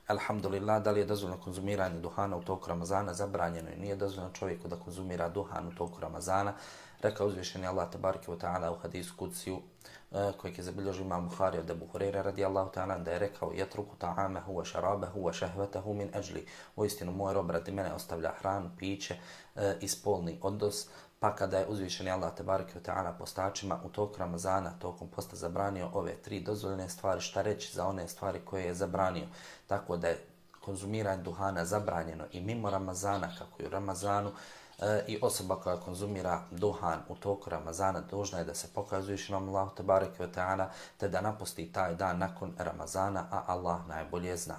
Alhamdulillah, da li je dozvoljeno konzumiranje duhana u toku Ramazana? Zabranjeno i nije dozvoljeno čovjeku da konzumira duhan u toku Ramazana. Rekao uzvišeni Allah tebareke ve taala u hadisu kudsiju kojeg je zabilježio Imam Buhari od Ebu Hurajre radijallahu ta'ala da je rekao yatruku ta'amahu wa sharabahu wa shahwatahu min ajli. Uistinu moj rob radi mene ostavlja hranu, piće i spolni odnos. Pa kada je uzvišeni Allah tebareke ve taala postačima u toku Ramazana, tokom posta zabranio ove tri dozvoljene stvari, šta reći za one stvari koje je zabranio. Tako da je konzumiranje duhana zabranjeno i mimo Ramazana, kako i u Ramazanu, i osoba koja konzumira duhan u toku Ramazana dužna je da se pokaje uzvišenom Allahu tebareke ve taala te da napusti taj dan nakon Ramazana, a Allah najbolje zna.